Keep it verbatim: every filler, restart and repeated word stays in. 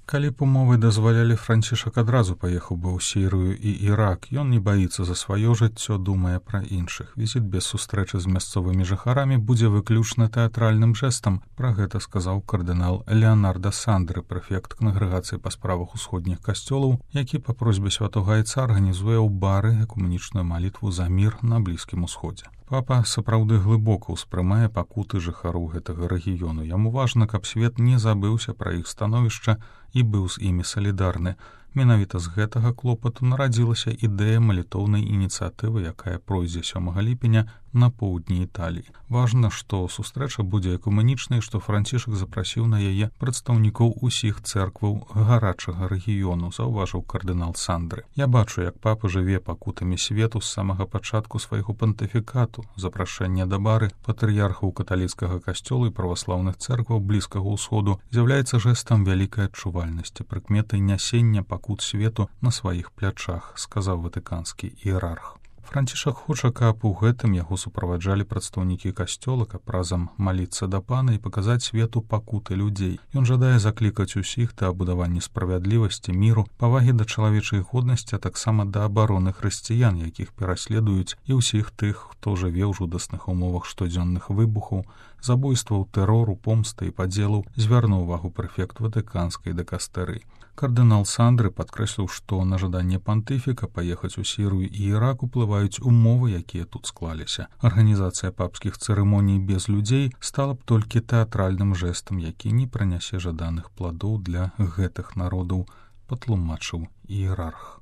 Калі б умовы дазвалялі, Францішак адразу паехаў бы ў Сірыю і Ірак. Ён не баіцца за сваё жыццё, думае пра іншых. Візіт без сустрэчы з мясцовымі жыхарамі будзе выключна тэатральным жэстам. Пра гэта сказаў кардынал Леонардо Сандры, прэфект кангрэгацыі па справах усходніх касцёлаў, які па просьбе святога айца арганізуе ў бары экумэнічную малітву за мір на Блізкім усходзе. Папа сапраўды глыбока ўспрымае пакуты жыхароў гэтага рэгіёну. Яму важна, каб свет не забыўся пра іх становішча і быў з імі салідарны. Менавіта з гэтага клопату нарадзілася ідэя малітоўнай ініцыятывы, якая пройдзе сёмага ліпеня на поўдні Італіі. Важна, што сустрэча будзе экумэнічнай, што Францішак запрасіў на яе прадстаўнікоў усіх цэркваў гарачага рэгіёну, заўважыў кардынал Сандры. Я бачу, як папа жыве пакутамі свету з самага пачатку свайго пантыфікату. Запрашэнне да бары патрыярхаў каталіцкага касцёла і праваслаўных цэркваў Блізкага ўсходу з'яўляецца жэстам вялікай адчувальнасці, прыкметай нясення пакут свету на сваіх плячах, сказаў ватыканскі іерарх. Францішак хоча, каб у гэтым яго суправаджалі прадстаўнікі касцёла, каб разам маліцца да пана і паказаць свету пакуты людзей. Ён жадае заклікаць усіх да абудавання справядлівасці, міру, павагі да чалавечай годнасці, а таксама да абароны хрысціян, якіх пераследуюць, і ўсіх тых, хто жыве ў жудасных умовах штодзённых выбухаў, забойстваў, тэрору, помсты і падзелаў, звярнуў увагу прэфект ватыканскай дыкастэрыі. Кардынал Сандры падкрэсліў, што на жаданне пантыфіка паехаць у Сірыю і Ірак уплываюць умовы, якія тут склаліся. Арганізацыя папскіх цырымоній без людзей стала б толькі тэатральным жэстам, які не прынясе жаданых пладоў для гэтых народаў, патлумачыў іерарх.